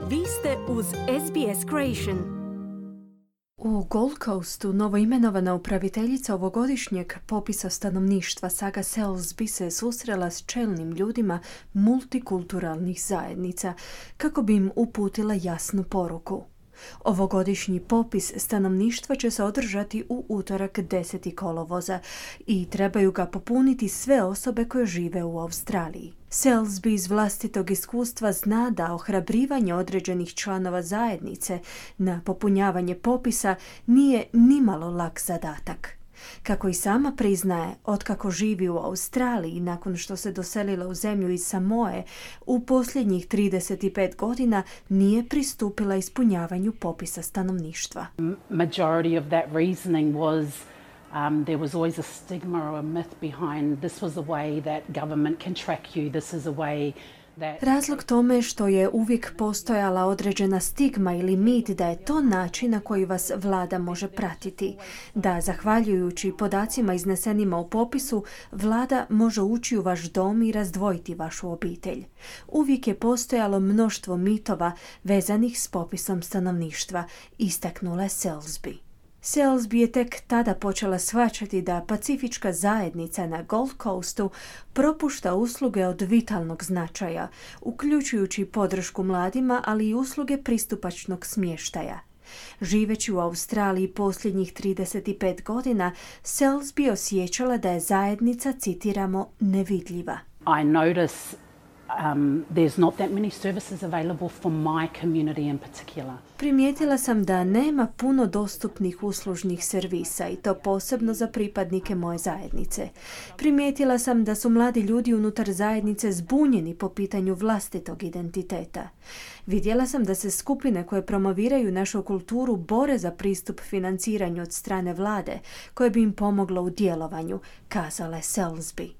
Vi ste uz SBS Creation. U Gold Coastu novoimenovana upraviteljica ovogodišnjeg popisa stanovništva Saga Selsby se susrela s čelnim ljudima multikulturalnih zajednica kako bi im uputila jasnu poruku. Ovogodišnji popis stanovništva će se održati u utorak 10. kolovoza i trebaju ga popuniti sve osobe koje žive u Australiji. Selsby iz vlastitog iskustva zna da ohrabrivanje određenih članova zajednice na popunjavanje popisa nije nimalo lak zadatak. Kako i sama priznaje, otkako živi u Australiji nakon što se doselila u zemlju iz Samoe, u posljednjih 35 godina nije pristupila ispunjavanju popisa stanovništva. Majority of that reasoning was there was always a stigma or a myth behind this was the way that government can track you, this is a way. Razlog tome što je uvijek postojala određena stigma ili mit da je to način na koji vas vlada može pratiti, da zahvaljujući podacima iznesenima u popisu, vlada može ući u vaš dom i razdvojiti vašu obitelj. Uvijek je postojalo mnoštvo mitova vezanih s popisom stanovništva, istaknula je Selsby. Selsby je tek tada počela shvaćati da pacifička zajednica na Gold Coastu propušta usluge od vitalnog značaja, uključujući podršku mladima, ali i usluge pristupačnog smještaja. Živeći u Australiji posljednjih 35 godina, Selsby osjećala da je zajednica, citiramo, nevidljiva. I notice there's not that many services available for my community in particular. Primijetila sam da nema puno dostupnih uslužnih servisa i to posebno za pripadnike moje zajednice. Primijetila sam da su mladi ljudi unutar zajednice zbunjeni po pitanju vlastitog identiteta. Vidjela sam da se skupine koje promoviraju našu kulturu bore za pristup financiranju od strane vlade, koje bi im pomoglo u djelovanju, kazala je Selsby.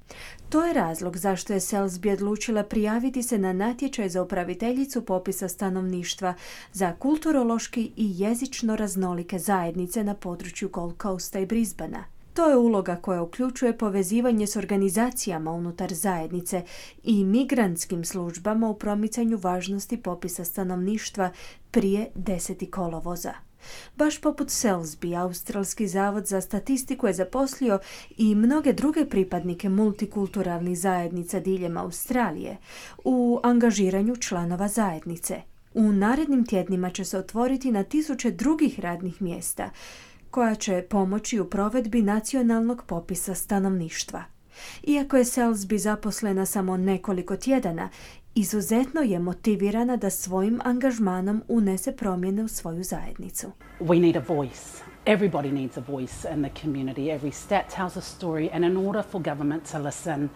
To je razlog zašto je Selsby odlučila prijaviti se na natječaj za upraviteljicu popisa stanovništva za kulturološki i jezično raznolike zajednice na području Gold Coasta i Brisbanea. To je uloga koja uključuje povezivanje s organizacijama unutar zajednice i migrantskim službama u promicanju važnosti popisa stanovništva prije 10. kolovoza. Baš poput Selsby, Australski zavod za statistiku je zaposlio i mnoge druge pripadnike multikulturalnih zajednica diljem Australije u angažiranju članova zajednice. U narednim tjednima će se otvoriti na tisuće drugih radnih mjesta koja će pomoći u provedbi nacionalnog popisa stanovništva. Iako je Selsby zaposlena samo nekoliko tjedana, izuzetno je motivirana da svojim angažmanom unese promjene u svoju zajednicu. We need a voice. Everybody needs a voice in the community. Every stat tells a story and in order for government to listen,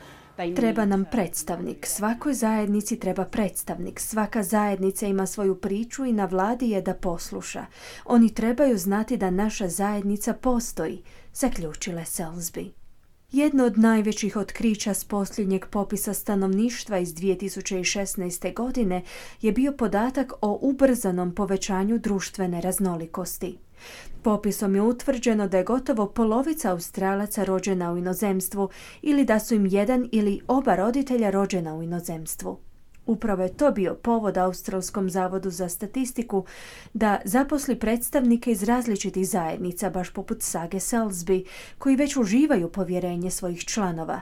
treba nam predstavnik. Svakoj zajednici treba predstavnik. Svaka zajednica ima svoju priču i na vladi je da posluša. Oni trebaju znati da naša zajednica postoji, zaključila je Selsby. Jedno od najvećih otkrića s posljednjeg popisa stanovništva iz 2016. godine je bio podatak o ubrzanom povećanju društvene raznolikosti. Popisom je utvrđeno da je gotovo polovica Australaca rođena u inozemstvu ili da su im jedan ili oba roditelja rođena u inozemstvu. Upravo je to bio povod Australskom zavodu za statistiku da zaposli predstavnike iz različitih zajednica, baš poput Sage Selsby, koji već uživaju povjerenje svojih članova,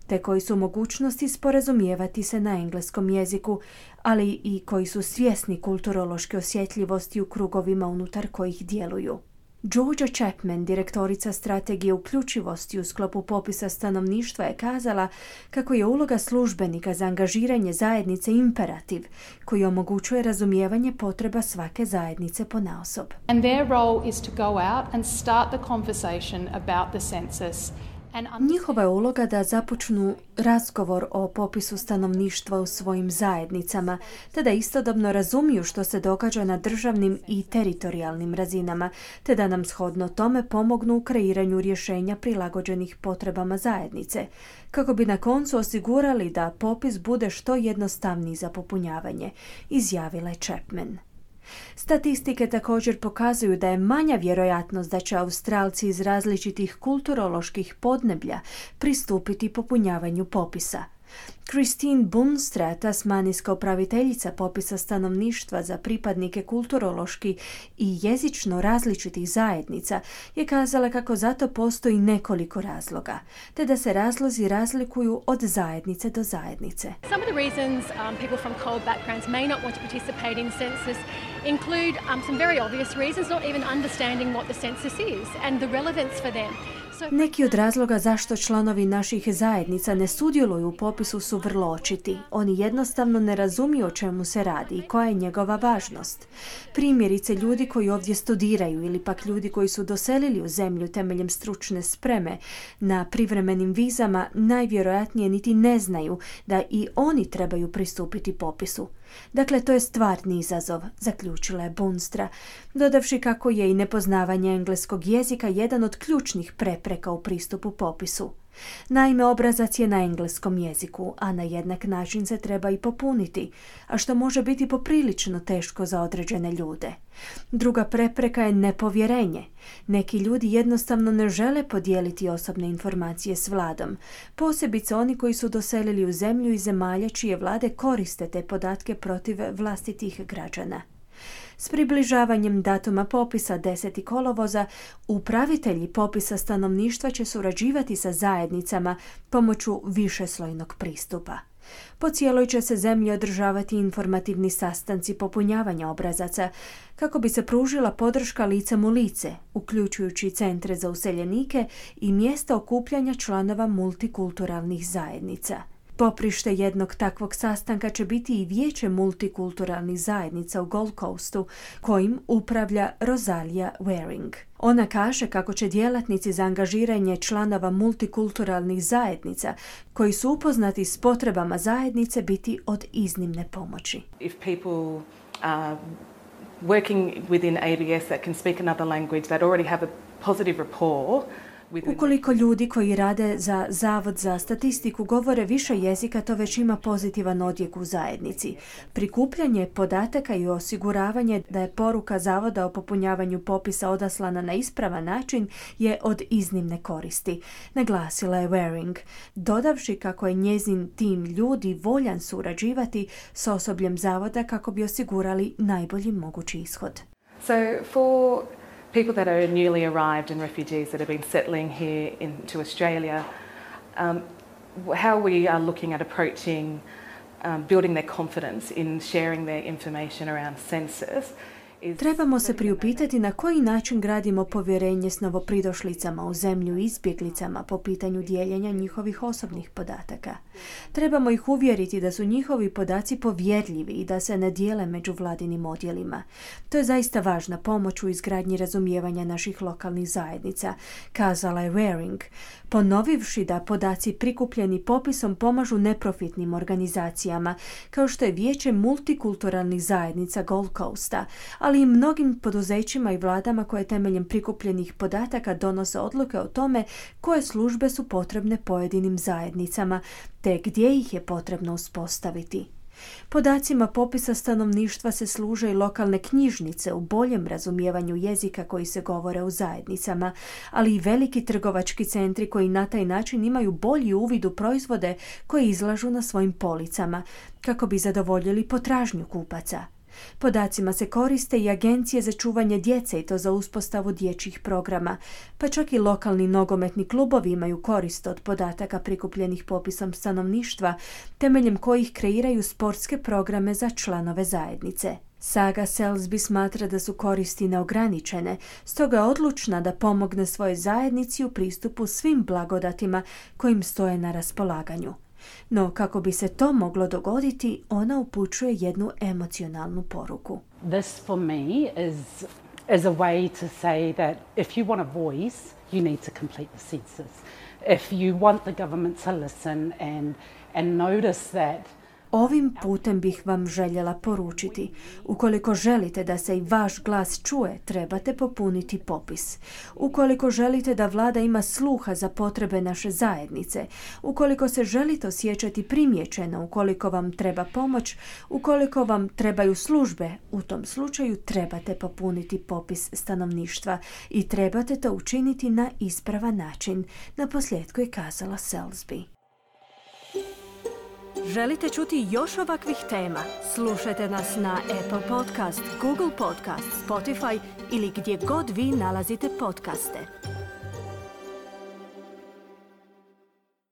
te koji su u mogućnosti sporazumijevati se na engleskom jeziku, ali i koji su svjesni kulturološke osjetljivosti u krugovima unutar kojih djeluju. Georgia Chapman, direktorica strategije uključivosti u sklopu popisa stanovništva, je kazala kako je uloga službenika za angažiranje zajednice imperativ koji omogućuje razumijevanje potreba svake zajednice ponaosob. And their role is to go out and start the conversation about the census. Njihova je uloga da započnu razgovor o popisu stanovništva u svojim zajednicama, te da istodobno razumiju što se događa na državnim i teritorijalnim razinama, te da nam shodno tome pomognu u kreiranju rješenja prilagođenih potrebama zajednice, kako bi na koncu osigurali da popis bude što jednostavniji za popunjavanje, izjavila je Chapman. Statistike također pokazuju da je manja vjerojatnost da će Australci iz različitih kulturoloških podneblja pristupiti popunjavanju popisa. Christine Bunstra, tasmanijska upraviteljica popisa stanovništva za pripadnike kulturološki i jezično različitih zajednica, je kazala kako zato postoji nekoliko razloga, te da se razlozi razlikuju od zajednice do zajednice. Some of the reasons people from COLD backgrounds may not want to participate in census include some very obvious reasons, not even understanding what the census is and the relevance for them. Neki od razloga zašto članovi naših zajednica ne sudjeluju u popisu su vrlo očiti. Oni jednostavno ne razumiju o čemu se radi i koja je njegova važnost. Primjerice, ljudi koji ovdje studiraju ili pak ljudi koji su doselili u zemlju temeljem stručne spreme na privremenim vizama najvjerojatnije niti ne znaju da i oni trebaju pristupiti popisu. Dakle, to je stvarni izazov, zaključila je Bunstra, dodavši kako je i nepoznavanje engleskog jezika jedan od ključnih prepreka u pristupu popisu. Naime, obrazac je na engleskom jeziku, a na jednak način se treba i popuniti, a što može biti poprilično teško za određene ljude. Druga prepreka je nepovjerenje. Neki ljudi jednostavno ne žele podijeliti osobne informacije s vladom, posebice oni koji su doselili u zemlju iz zemalja čije vlade koriste te podatke protiv vlastitih građana. S približavanjem datuma popisa 10. kolovoza, upravitelji popisa stanovništva će surađivati sa zajednicama pomoću višeslojnog pristupa. Po cijeloj će se zemlji održavati informativni sastanci popunjavanja obrazaca kako bi se pružila podrška licem u lice, uključujući centre za useljenike i mjesta okupljanja članova multikulturalnih zajednica. Poprište jednog takvog sastanka će biti i vijeće multikulturalnih zajednica u Gold Coastu, kojim upravlja Rosalia Waring. Ona kaže kako će djelatnici za angažiranje članova multikulturalnih zajednica koji su upoznati s potrebama zajednice biti od iznimne pomoći. If people are working within ABS that can speak another language, that already have a positive rapport. Ukoliko ljudi koji rade za Zavod za statistiku govore više jezika, to već ima pozitivan odjek u zajednici. Prikupljanje podataka i osiguravanje da je poruka Zavoda o popunjavanju popisa odaslana na ispravan način je od iznimne koristi, naglasila je Waring, dodavši kako je njezin tim ljudi voljan surađivati s osobljem Zavoda kako bi osigurali najbolji mogući ishod. So for people that are newly arrived and refugees that have been settling here into Australia, how we are looking at approaching building their confidence in sharing their information around census. Trebamo se priupitati na koji način gradimo povjerenje s novopridošlicama u zemlju i izbjeglicama po pitanju dijeljenja njihovih osobnih podataka. Trebamo ih uvjeriti da su njihovi podaci povjerljivi i da se ne dijele među vladinim odjelima. To je zaista važna pomoć u izgradnji razumijevanja naših lokalnih zajednica, kazala je Waring, ponovivši da podaci prikupljeni popisom pomažu neprofitnim organizacijama, kao što je vijeće multikulturalnih zajednica Gold Coasta, ali i mnogim poduzećima i vladama koje temeljem prikupljenih podataka donose odluke o tome koje službe su potrebne pojedinim zajednicama, te gdje ih je potrebno uspostaviti. Podacima popisa stanovništva se služe i lokalne knjižnice u boljem razumijevanju jezika koji se govore u zajednicama, ali i veliki trgovački centri koji na taj način imaju bolji uvid u proizvode koje izlažu na svojim policama, kako bi zadovoljili potražnju kupaca. Podacima se koriste i agencije za čuvanje djece i to za uspostavu dječjih programa, pa čak i lokalni nogometni klubovi imaju korist od podataka prikupljenih popisom stanovništva, temeljem kojih kreiraju sportske programe za članove zajednice. Saga Selsby smatra da su koristi neograničene, stoga je odlučna da pomogne svojoj zajednici u pristupu svim blagodatima kojim stoje na raspolaganju. No, kako bi se to moglo dogoditi, ona upućuje jednu emocionalnu poruku. This for me is a way to say that if you want a voice, you need to complete the census. If you want the government to listen and notice that. Ovim putem bih vam željela poručiti. Ukoliko želite da se i vaš glas čuje, trebate popuniti popis. Ukoliko želite da vlada ima sluha za potrebe naše zajednice, ukoliko se želite osjećati primijećeno, ukoliko vam treba pomoć, ukoliko vam trebaju službe, u tom slučaju trebate popuniti popis stanovništva i trebate to učiniti na ispravan način, naposljetku je kazala Selsby. Želite čuti još ovakvih tema? Slušajte nas na Apple Podcast, Google Podcast, Spotify ili gdje god vi nalazite podcaste.